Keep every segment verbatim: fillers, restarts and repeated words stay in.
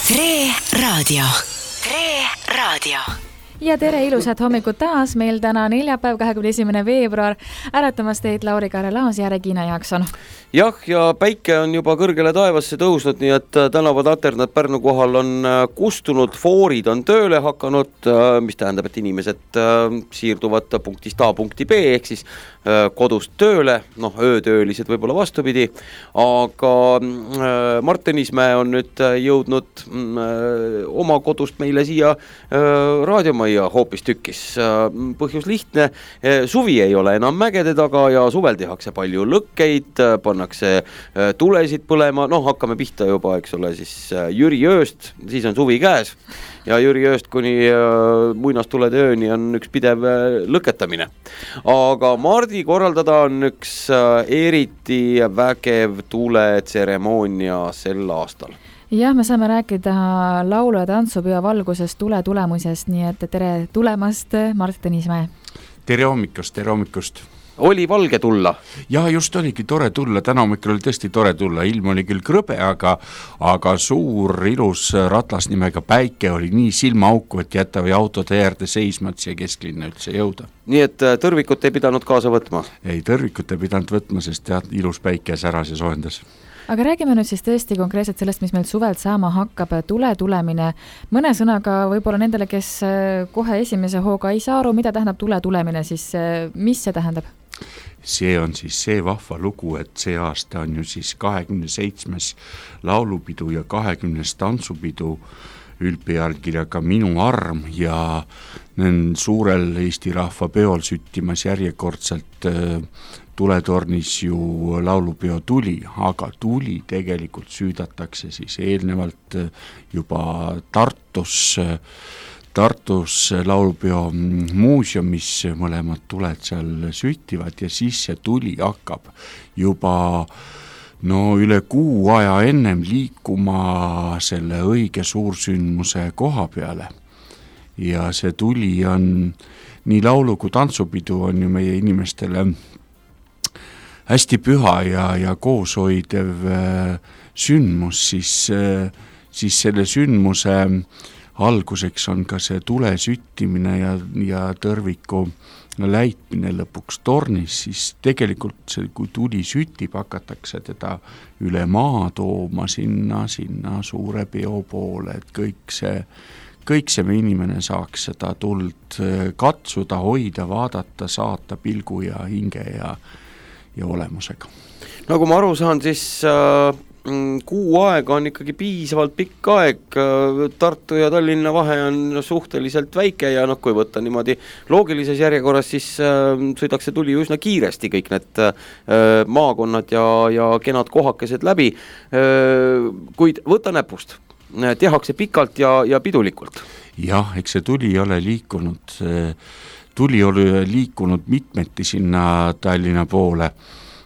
Tre Raadio. Tre Raadio. Ja tere ilusat hommikut taas. Meil täna neljapäev, kahekümne esimene veebruar. Äratamas teid Lauri Karelaas ja Regina Jaakson. Jah, ja päike on juba kõrgele taevasse tõusnud, nii et tänavad laternad Pärnu kohal on kustunud, foorid on tööle hakanud, mis tähendab, et inimesed siirduvad punktist A punkti B, ehk siis kodust tööle, noh, öötöölised võib-olla vastupidi, aga Mart Tõnismäe on nüüd jõudnud oma kodust meile siia raadiomajja hoopis tükkis. Põhjus lihtne, suvi ei ole enam mägede taga ja suvel tehakse palju lõkkeid, pannakse tulesid põlema, noh, hakkame pihta juba, eks ole, siis Jüri ööst, siis on suvi käes ja Jüri ööst kuni muinastulede ööni on üks pidev lõketamine. Aga Mardi korraldada on üks eriti vägev tuletseremoonia sel aastal. Jah, me saame rääkida laulu- ja tantsupeo valgusest, tule tulemusest, nii et tere tulemast, Mart Tõnismäe. Tere hommikust, tere hommikust. Oli valge tulla? Ja just oligi tore tulla, täna hommikul oli tõesti tore tulla, ilm oli küll krõbe, aga, aga suur ilus ratlas nimega päike oli nii silmaauku, et jätavi autode äärde seisma, et siia kesklinna üldse jõuda. Nii et tõrvikut ei pidanud kaasa võtma? Ei, tõrvikut ei pidanud võtma, sest jah, ilus päike säras ja soojendas. Aga räägime nüüd siis tõesti konkreetselt sellest, mis meil suvelt saama hakkab, tule tulemine. Mõne sõnaga võib-olla nendele, kes kohe esimese hooga ei saa aru, mida tähendab tule tulemine, siis mis see tähendab? See on siis see vahva lugu, et see aasta on ju siis kahekümne seitsmes laulupidu ja kahekümnes tantsupidu üldpealkirjaga Minu arm ja suurel Eesti rahva peol süttimas järjekordselt tuletornis ju laulupeo Tuli, aga Tuli tegelikult süüdatakse siis eelnevalt juba Tartus Tartus laulupeo muuseumis mõlemad tuled seal süttivad ja siis see Tuli hakkab juba no üle kuu aja ennem liikuma selle õige suursündmuse koha peale. Ja see Tuli on nii laulu kui tantsupidu on ju meie inimestele hästi püha ja, ja kooshoidev sündmus, siis, siis selle sündmuse alguseks on ka see tule süttimine ja, ja tõrviku läitmine lõpuks tornis, siis tegelikult see, kui tuli sütib, hakatakse teda üle maa tooma sinna, sinna suure peo poole, et kõik see, kõik see me inimene saaks seda tuld katsuda, hoida, vaadata, saata pilgu ja hinge ja, ja olemusega. Nagu ma aru saan, siis äh... kuu aega on ikkagi piisavalt pikk aeg, Tartu ja Tallinna vahe on suhteliselt väike ja noh, kui võtta niimoodi loogilises järjekorras, siis sõidaks see Tuli üsna kiiresti kõik need maakonnad ja, ja kenad kohakesed läbi, kuid võta näpust, tehakse pikalt ja, ja pidulikult. Jah, eks see Tuli ole liikunud, Tuli oli liikunud mitmeti sinna Tallinna poole.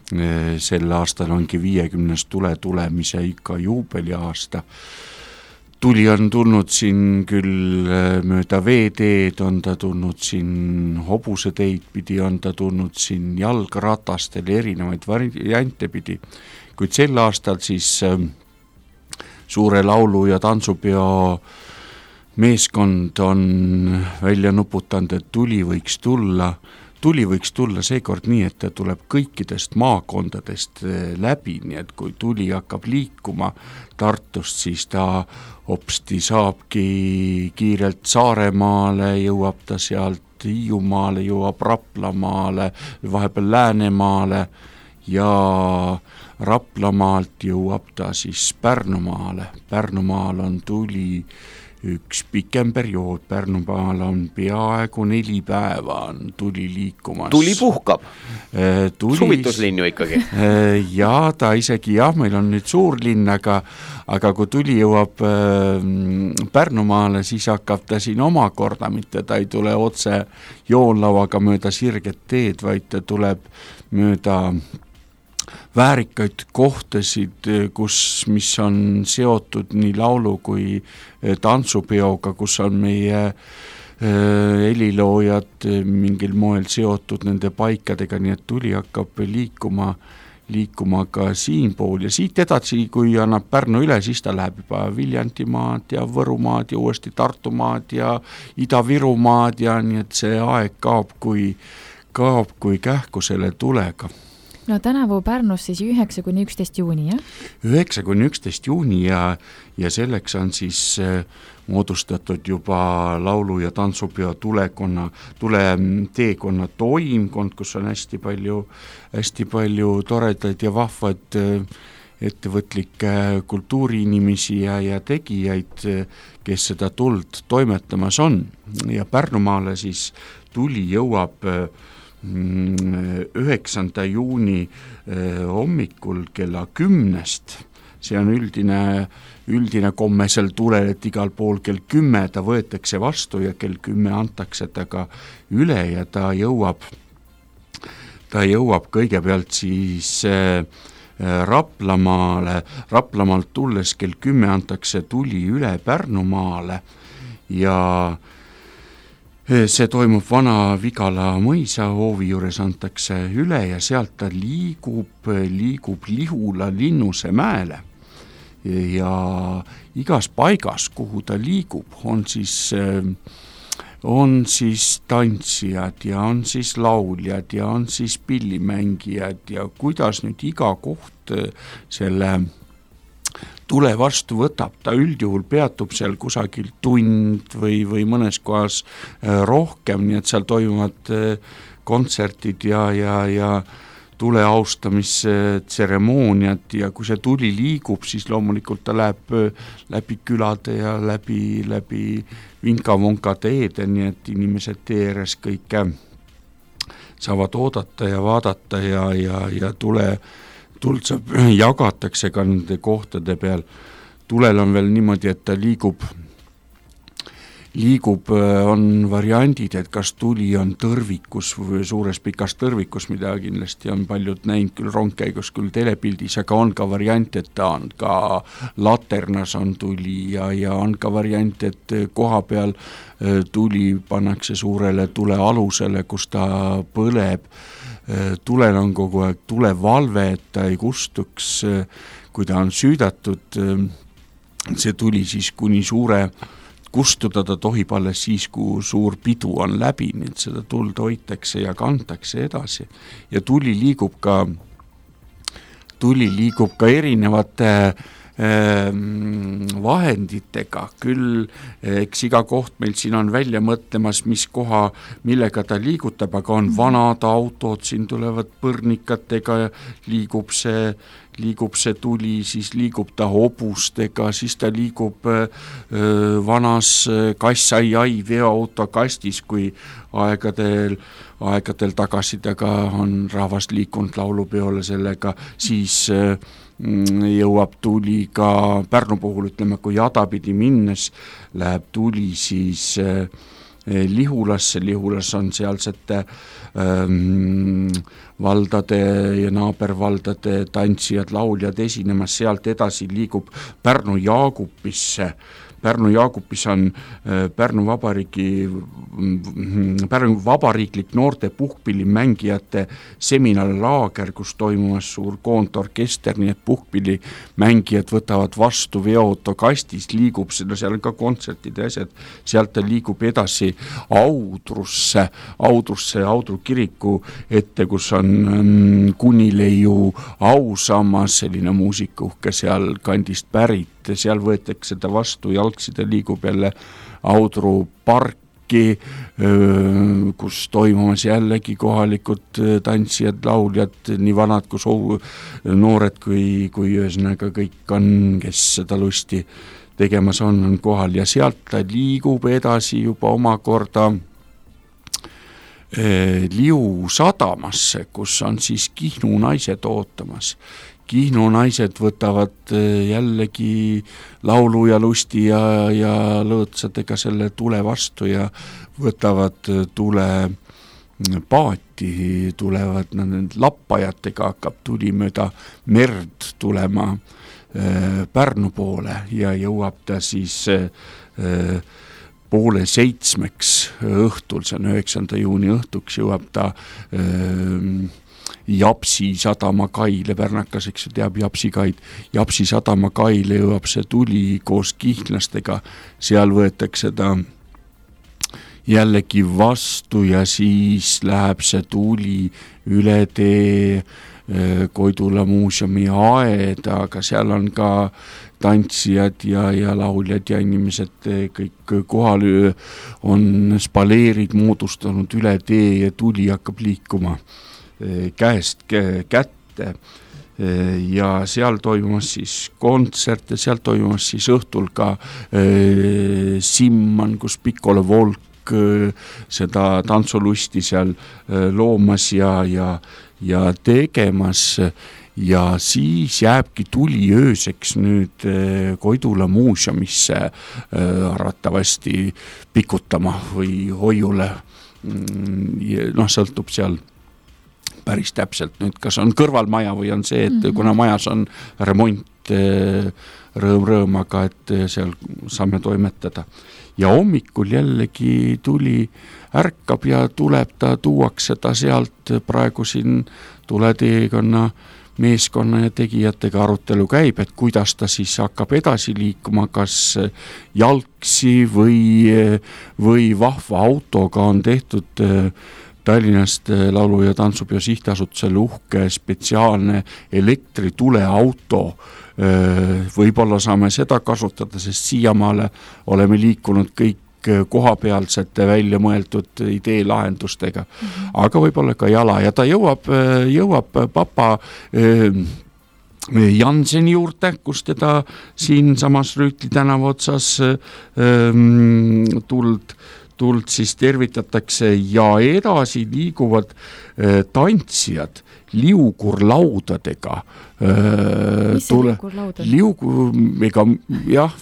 Sel aastal ongi viiekümnes tule tulemise ikka juubeli aasta. Tuli on tulnud siin küll mööda veeteed, on ta tulnud siin hobuse teid pidi, on ta tulnud siin jalgratastel erinevaid variante pidi. Kuid sel aastal siis suure laulu- ja tantsupeo meeskond on välja nuputanud, et Tuli võiks tulla Tuli võiks tulla seekord nii, et ta tuleb kõikidest maakondadest läbi, nii et kui Tuli hakkab liikuma Tartust, siis ta hopsti saabki kiirelt Saaremaale, jõuab ta sealt Hiiumaale, jõuab Raplamaale, vahepeal Läänemaale ja Raplamaalt jõuab ta siis Pärnumaale. Pärnumaal on Tuli üks pikem periood, Pärnumaal on peaaegu neli päeva on Tuli liikumas. Tuli puhkab? Tuli... Suvituslinnu ikkagi? Ja ta isegi, jah, meil on nüüd suur linn, aga, aga kui Tuli jõuab Pärnumaale, siis hakkab ta siin omakorda, mitte ta ei tule otse joonlauaga mööda sirget teed, vaid ta tuleb mööda väärikaid kohtasid, kus, mis on seotud nii laulu kui tantsupeoga, kus on meie heliloojad mingil moel seotud nende paikadega, nii et Tuli hakkab liikuma liikuma ka siinpool ja siit edasi, kui annab Pärnu üle, siis ta läheb juba Viljandimaad ja Võrumaad ja uuesti Tartumaad ja Ida-Virumaad ja nii, et see aeg kaob kui, kaob kui kähku selle tulega. No tänavu Pärnus siis üheksa kuni üksteist juuni, jah? üheksa kuni üksteist juuni ja, ja selleks on siis äh, moodustatud juba laulu- ja tantsupeo tulekonna, tule teekonna toimkond, kus on hästi palju, hästi palju toredaid ja vahvad äh, ettevõtlikke kultuuriinimesi ja, ja tegijaid, kes seda tuld toimetamas on. Ja Pärnumaale siis tuli jõuab äh, üheksanda juuni hommikul kella kümnest, see on üldine, üldine komme sel tulel, et igal pool kell kümme ta võetakse vastu ja kell kümme antakse ta ka üle ja ta jõuab, ta jõuab kõigepealt siis Raplamaale, Raplamaalt tulles kell kümme antakse tuli üle Pärnumaale ja see toimub Vana Vigala mõisa hoovi juures antakse üle ja sealt ta liigub, liigub Lihula Linnuse mäele ja igas paigas, kuhu ta liigub, on siis, on siis tantsijad ja on siis lauljad ja on siis pillimängijad ja kuidas nüüd iga koht selle tule vastu võtab, ta üldjuhul peatub seal kusagil tund või, või mõnes kohas rohkem, nii et seal toimuvad kontsertid ja, ja, ja tule austamisetseremooniad ja kui see tuli liigub, siis loomulikult ta läheb läbi külade ja läbi, läbi vinka-vonka teede, nii et inimesed tee ääres kõike saavad oodata ja vaadata ja, ja, ja tule tuld saab, jagatakse ka nende kohtade peal. Tulel on veel niimoodi, et ta liigub, liigub, on variandid, et kas tuli on tõrvikus või suures pikas tõrvikus, mida kindlasti on paljud näinud küll rongkäigus, küll telepildis, aga on ka variant, et ta on ka laternas on tuli ja, ja on ka variant, et koha peal tuli pannakse suurele tule alusele, kus ta põleb. Tulel on kogu aeg tulevalve, et ta ei kustuks, kui ta on süüdatud, see tuli siis kuni suure kustuda, ta tohib alles siis, kui suur pidu on läbi, nii et seda tuld hoitakse ja kantakse edasi. Ja tuli liigub ka, tuli liigub ka erinevate vahenditega, küll eks iga koht meil siin on välja mõtlemas, mis koha, millega ta liigutab, aga on vanad autod, siin tulevad põrnikatega ja liigub see, liigub see tuli, siis liigub ta hobustega, siis ta liigub öö, vanas kass-ai-ai veoauto kastis, kui aegadel, aegadel tagasi taga on rahvas liikunud laulupeole sellega, siis öö, jõuab tuli ka Pärnu puhul, ütleme, kui Jadapidi minnes läheb tuli siis eh, Lihulasse, Lihulas on sealsete ähm, valdade ja naabervaldade tantsijad, lauljad esinemas, sealt edasi liigub Pärnu Jaagupisse. Pärnu Jaagupis on Pärnu Vabariigi, Pärnu Vabariiklik noorte puhkpillimängijate seminarlaager, kus toimumas suur koondorkester, nii et puhkpillimängijad võtavad vastu veoauto kastis, liigub, no seal on ka kontsertid ja asjad, sealt ta liigub edasi Audrusse, Audrusse, Audru kiriku ette, kus on Kunileiu ausammas, selline muusikuhke seal kandist pärit, seal võetakse ta vastu, jalgside liigub jälle Audru parki, kus toimumas jällegi kohalikud tantsijad, lauljad, nii vanad kui soo, noored kui, kui ühesõnaga kõik on, kes seda lusti tegemas on, on kohal ja sealt ta liigub edasi juba omakorda Liu sadamasse, kus on siis Kihnu naised ootamas. Kihnu naised võtavad jällegi laulu ja lusti ja, ja lõõtsadega selle tule vastu ja võtavad tule paati, tulevad need lappajatega, hakkab tuli mööda merd tulema Pärnu poole ja jõuab ta siis poole seitsmeks õhtul, see on üheksanda juuni õhtuks, jõuab ta Japsi sadama kaile, pärnakas, eks ju teab Japsi kaid, Japsi sadama kaile jõuab see tuli koos kihnlastega, seal võetakse ta jällegi vastu ja siis läheb see tuli üle tee Koidula muuseumi aeda, aga seal on ka tantsijad ja, ja lauljad ja inimesed kõik kohal on spaleerid moodustanud üle tee ja tuli hakkab liikuma käest kätte ja seal toimus siis kontsert ja seal toimus siis õhtul ka Simman, kus Piccolo Volk seda tantsulusti seal loomas ja, ja ja tegemas ja siis jääbki tuli ööseks nüüd Koidula muuseumisse arvatavasti pikutama või hoiule, noh sõltub seal päris täpselt nüüd, kas on kõrvalmaja või on see, et mm-hmm. kuna majas on remont rõõm-rõõm, aga et seal saame toimetada ja hommikul jällegi tuli ärkab ja tuleb ta, tuuakse ta sealt praegu siin tuleteekonna meeskonna ja tegijatega arutelu käib, et kuidas ta siis hakkab edasi liikuma, kas jalgsi või, või vahva autoga on tehtud Tallinnast laulu- ja tantsupeo sihtasutusele uhke spetsiaalne elektrituleauto. Võib-olla saame seda kasutada, sest siiamaale oleme liikunud kõik kohapealsete välja mõeldud ideelahendustega, mm-hmm. aga võib-olla ka jala ja ta jõuab, jõuab papa Janseni juurde, kus teda siin samas Rüütli tänava otsas tuld, tuld siis tervitatakse ja edasi liiguvad tantsijad liugurlaudadega. Mis see tule, liugurlaud on? Liugur, ega jah,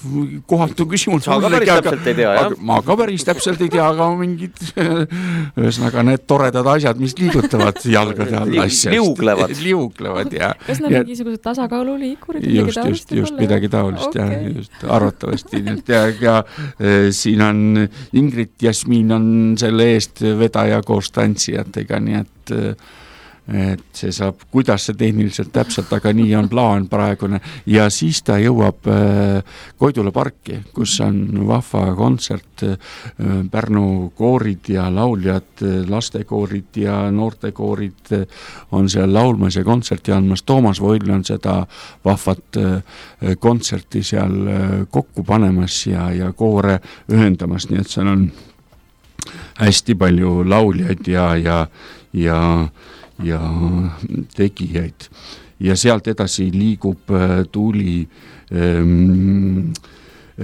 kohatu küsimus. Sa ka päris täpselt ei tea, jah? Ma ka päris täpselt ei tea, aga mingid ühesõnaga need toredad asjad, mis liigutavad jalgade all asjast. Liuglevad. Liuglevad, jah. Kas need mingisugused tasakaaluliikurid? Just, just, just midagi taolist, okay. jah, just arvatavasti. ja, ja siin on Ingrid Jasmin on selle eest vedaja koos tantsijatega, nii et et see saab, kuidas see tehniliselt täpselt, aga nii on plaan praegune ja siis ta jõuab Koidula parki, kus on vahva kontsert, Pärnu koorid ja lauljad, lastekoorid ja noortekoorid on seal laulmas ja kontserti andmas. Toomas Voil on seda vahvat kontserti seal kokku panemas ja, ja koore ühendamas, nii et seal on hästi palju lauljaid ja, ja, ja ja tegijaid ja sealt edasi liigub tuli ähm,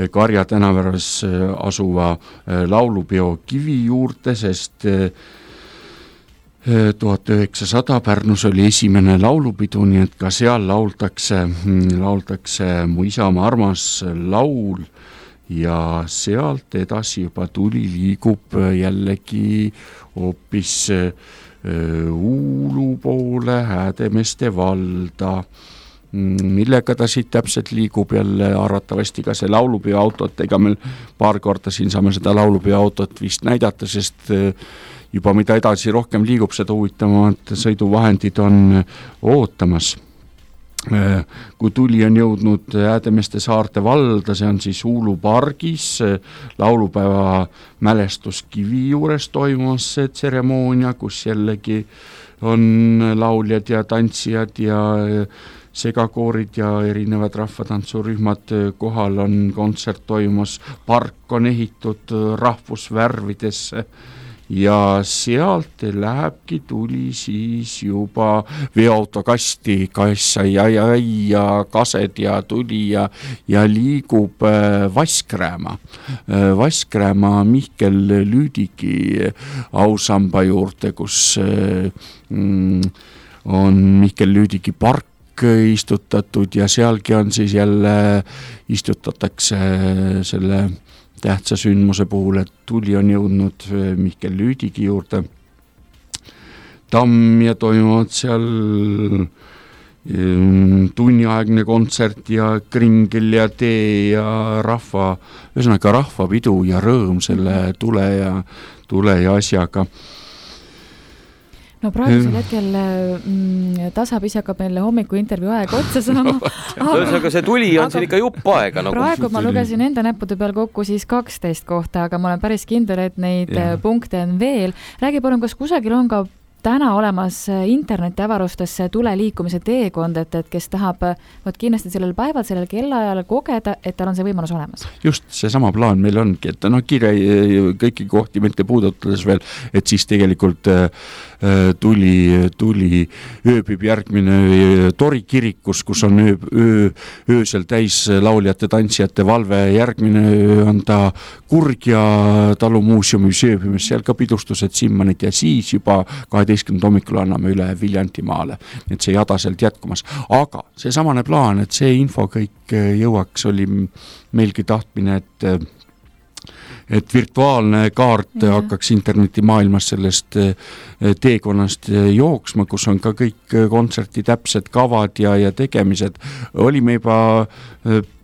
Karja tänaväras asuva laulupeo kivi juurde, sest tuhat üheksasada Pärnus oli esimene laulupidu, nii et ka seal lauldakse, lauldakse Mu isamaa armas laul ja sealt edasi juba tuli liigub jällegi hoopis Uulu poole Häädemeeste valda, millega ta siit täpselt liigub jälle arvatavasti ka see laulupeo autot, ega meil paar korda siin saame seda laulupeo autot vist näidata, sest juba mida edasi rohkem liigub, seda huvitavamad sõiduvahendid on ootamas. Kui tuli on jõudnud Häädemeeste saarte valda, see on siis Uulu pargis, laulupäeva mälestuskivi juures toimus see tseremoonia, kus jällegi on lauljad ja tantsijad ja segakoorid ja erinevad rahvatantsurühmad kohal, on kontsert toimus, park on ehitud rahvusvärvidesse ja sealt lähebki tuli siis juba veoautokasti, kassa ja, ja, ja kased ja tuli ja, ja liigub Vaskrääma. Vaskrääma Mihkel Lüüdigi ausamba juurde, kus on Mihkel Lüüdigi park istutatud ja sealgi on siis jälle istutatakse selle tähtsa sündmuse puhul, et tuli on jõudnud Mihkel Lüüdigi juurde tamm ja toimuvad seal tunniaegne kontsert ja kringel ja tee ja rahva, ühesõnaga rahvapidu ja rõõm selle tule ja, tule ja asjaga. no praegusel hetkel mm, tasapisi hakkab meile hommiku intervjuu aeg otsa saama. Aga see tuli on aga siin ikka jupp aega. Nagu. Praegu ma lugesin enda näppude peal kokku siis kaksteist kohta, aga ma olen päris kindel, et neid ja. punkte on veel. Räägi palun, kas kusagil on ka täna olemas internetiavarustesse tuleliikumise teekond, et, et kes tahab võt kindlasti sellel päeval, sellel kellaajal kogeda, et tal on see võimalus olemas. Just see sama plaan meil ongi, et no kirja kõiki kohti mitte puudutades veel, et siis tegelikult äh, tuli, tuli ööbib järgmine Tori kirikus, kus on öö, öö, öösel täis lauljate, tantsijate valve, järgmine öö on ta Kurgja talumuuseumis ööbimis, seal ka pidustused Simmanit ja siis juba kaheteistkümnenda hommikul anname üle Viljantimaale, et see jada sealt jätkumas. Aga see samane plaan, et see info kõik jõuaks, oli meilgi tahtmine, et et virtuaalne kaart ja. hakkaks internetimaailmas sellest teekonnast jooksma, kus on ka kõik kontserti täpsed kavad ja, ja tegemised. Olime juba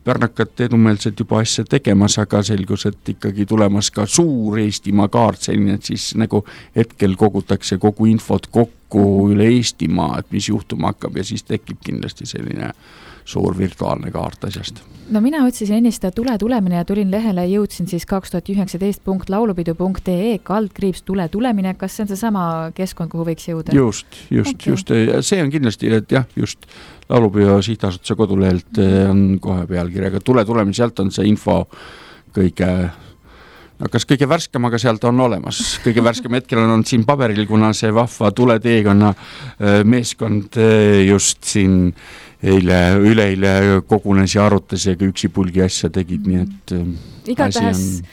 pärnakat edumeelselt juba asja tegemas, aga selgus, et ikkagi tulemas ka suur Eestimaa kaart, selline, et siis nagu hetkel kogutakse kogu infot kokku üle Eestimaa, et mis juhtuma hakkab ja siis tekib kindlasti selline suur virtuaalne kaart asjast. No mina otsisin ennist tule tulemine ja tulin lehele, jõudsin siis kaks tuhat üheksateist punkt laulupidu punkt ee kaldkriips tule tulemine. Kas see on see sama keskkond, kuhu võiks jõuda? Just, just, okay. just. See on kindlasti, et jah, just Laulupidu sihtasutuse kodulehelt on kohe pealkirjaga tule tulemine, sealt on see info kõige no kas kõige värskem, aga sealt on olemas. Kõige värskem hetkel on siin paberil, kuna see vahva tuleteekonna meeskond just siin eile, üleile kogunes ja arutas ja üksipulgi asja tegid, nii et igatahes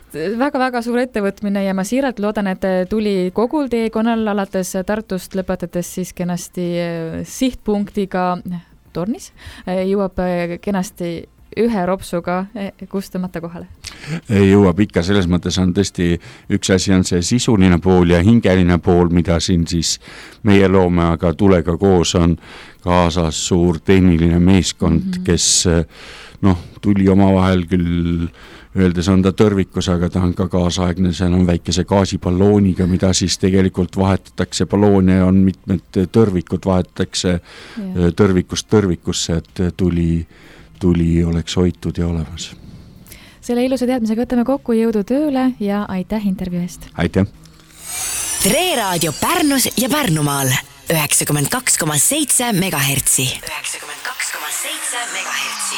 väga-väga suur ettevõtmine ja ma siiralt loodan, et tuli kogul teekonnal alates Tartust lõpetades siis kenasti sihtpunktiga Tornis, jõuab kenasti ühe ropsuga kustamata kohale. Jõuab ikka, selles mõttes on tõesti üks asi on see sisuline pool ja hingeline pool, mida siin siis meie loome, aga tulega koos on kaasas suur tehniline meeskond, mm-hmm. kes noh, tuli oma vahel küll öeldes on ta tõrvikus, aga ta on ka kaasaegne, seal on väikese gaasipallooniga, mida siis tegelikult vahetatakse, balloone on mitmed tõrvikud, vahetatakse yeah. tõrvikust tõrvikusse, et tuli, tuli oleks hoitud ja olemas. Selle ilusa teadmisega võtame kokku, jõudu tööle ja aitäh intervjuu eest. Aitäh. Tre Raadio Pärnus ja Pärnumaal üheksakümmend kaks koma seitse megahertsi. üheksakümmend kaks koma seitse megahertsi.